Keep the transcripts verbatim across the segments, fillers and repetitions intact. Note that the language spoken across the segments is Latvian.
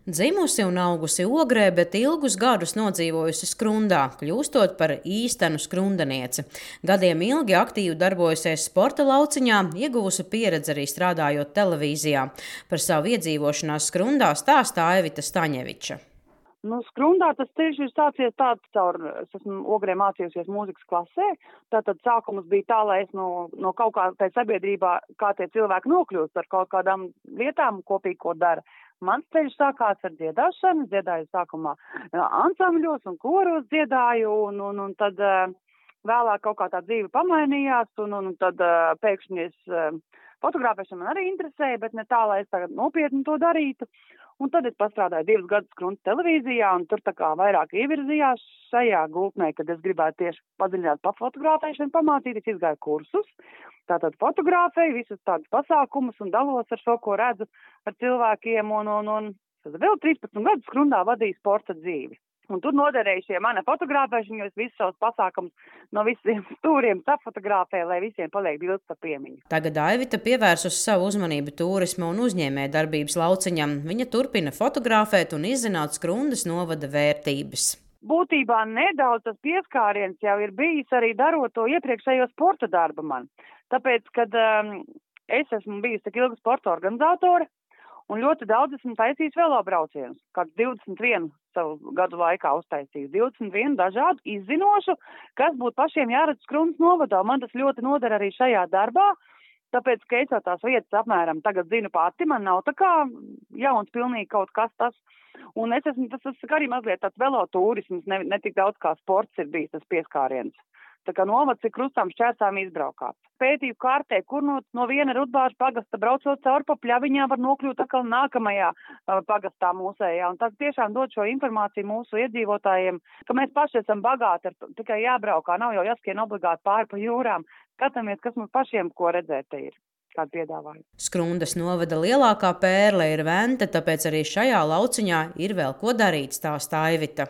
Dzimusi un augusi Ogrē, bet ilgus gadus nodzīvojusi Skrundā, kļūstot par īstenu skrundanieci. Gadiem ilgi aktīvi darbojusies sporta lauciņā, ieguvusi pieredzi arī strādājot televīzijā. Par savu iedzīvošanās Skrundā stāsta Aivita Staņeviča. Nu, Skrundā tas ceļš ir sācies tāds caur, es esmu Ogrē mācījusies mūzikas klasē, tātad sākums bija tā, lai es no, no kaut kā tai sabiedrībā, kā tie cilvēki nokļūst ar kaut kādām lietām kopīgi, ko dara. Mans ceļš sākās ar dziedāšanu, dziedāju sākumā ansambļos un koros dziedāju, un, un, un tad uh, vēlāk kaut kā tā dzīve pamainījās, un, un tad uh, pēkšņi es uh, fotografēšana man arī interesēja, bet ne tā, lai es tagad nopietni to darītu. Un tad es pastrādāju divus gadus Skrundas televīzijā, un tur tā kā vairāk ievirzījās šajā gultnē, kad es gribētu tieši padziļināt pa fotografēšanu, pamācīties, izgāju kursus. Tātad fotografēju visus tādus pasākumus un dalos ar šo, ko redzu ar cilvēkiem, un, un, un tad vēl trīspadsmit gadus Skrundā vadīju sporta dzīvi. Un tur noderēja šie mana fotografēšana, jo es visus savus pasākumus no visiem stūriem sapfotografēju, lai visiem paliek bildes par piemiņu. Tagad Aivita pievērsusi savu uzmanību turisma un uzņēmē darbības lauciņam. Viņa turpina fotografēt un izzināt Skrundas novada vērtības. Būtībā nedaudz tas pieskāriens jau ir bijis arī darot to iepriekšējo sporta darbu man. Tāpēc, kad um, es esmu bijusi tik ilga sporta organizātore, un ļoti daudz esmu taisījis velobraucienus, kāds divdesmit vienu savu gadu laikā uztaisījis, divdesmit vienu dažādu izzinošu, kas būtu pašiem jāredz Skrundas novadā. Man tas ļoti noder arī šajā darbā, tāpēc, ka es jau tās vietas apmēram tagad zinu pati, man nav tā kā jauns pilnīgi kaut kas tas. Un es esmu, tas, tas arī mazliet tāds velotūrisms, ne, ne tik daudz kā sports ir bijis tas pieskāriens. Tā kā novads ir krustām šķērsām izbraukāts. Pētīju kārtē, kur no, no viena Rudbāžu pagasta braucot cauri pa pļaviņā var nokļūt atkal nākamajā uh, pagastā mūsējā. Un tas tiešām dod šo informāciju mūsu iedzīvotājiem, ka mēs paši esam bagāti, ar, tikai jābraukā, nav jau jāskrien obligāti pāri pa jūrām. Skatāmies, kas mums pašiem ko redzēt te ir. Skrundas novada lielākā pērle ir Vente, tāpēc arī šajā lauciņā ir vēl ko darīt, stāsta Aivita.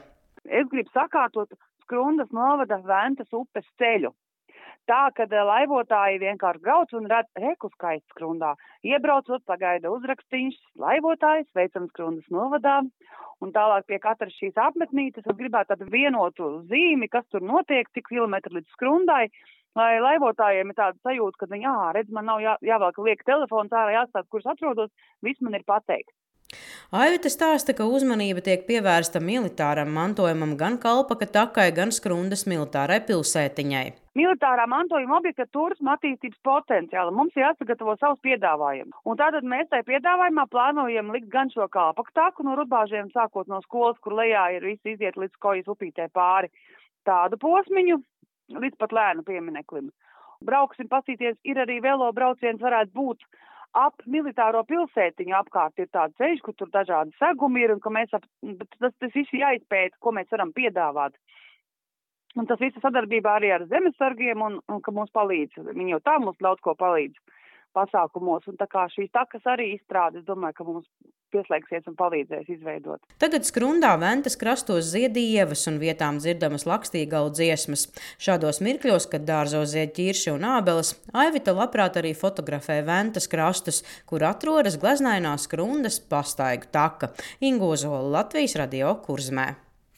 Es gribu sakārtot Skrundas novada Ventas upes ceļu. Tā, kad laivotāji vienkārši brauc un redz reku skaisti Skrundā. Iebraucot, pagaida uzrakstīņš, laivotājs, veicam Skrundas novadā. Un tālāk pie katras šīs apmetnītes es gribētu tādu vienotu zīmi, kas tur notiek, cik kilometri līdz Skrundai, lai laivotājiem ir tāda sajūta, ka viņi, ā, redz, man nav jā, jāvelk liek telefons ārā, jāstāst, kurš atrodos, viss man ir pateikt. Aivita stāsta, ka uzmanība tiek pievērsta militāram mantojumam gan Kalpaka takai, gan Skrundas militārai pilsētiņai. Militārā mantojuma objekta turisma attīstības potenciāla mums ir jāsagatavo savus piedāvājumus. Un tātad mēs tai piedāvājumā plānojam likt gan šo Kalpaka taku no Rudbāžiem, sākot no skolas, kur lejā ir visi iziet līdz Kojas upītē pāri, tādu posmiņu, līdz pat Lēnu piemineklim. Brauksim pasīties, ir arī velo brauciens varētu būt ap militāro pilsētiņu apkārt ir tāda ceļš, kur tur dažādi segumi ir, un ka mēs ap, tas, tas viss jāizpēta, ko mēs varam piedāvāt. Un tas viss sadarbībā arī ar zemesargiem, un, un ka mums palīdz. Viņi jau tā mums daudz ko palīdz pasākumos, un tā kā šīs takas arī izstrādes, domāju, ka mums pieslēgsies un palīdzēs izveidot. Tagad Skrundā Ventas krastos zied ievas un vietām dzirdamas Lakstīgalu dziesmas. Šādos mirkļos, kad dārzos zied ķirši un ābeles, Aivita labprāt arī fotografē Ventas krastus, kur atrodas gleznainā Skrundas pastaigu taka. Inga Ozola, Latvijas radio Kurzmē.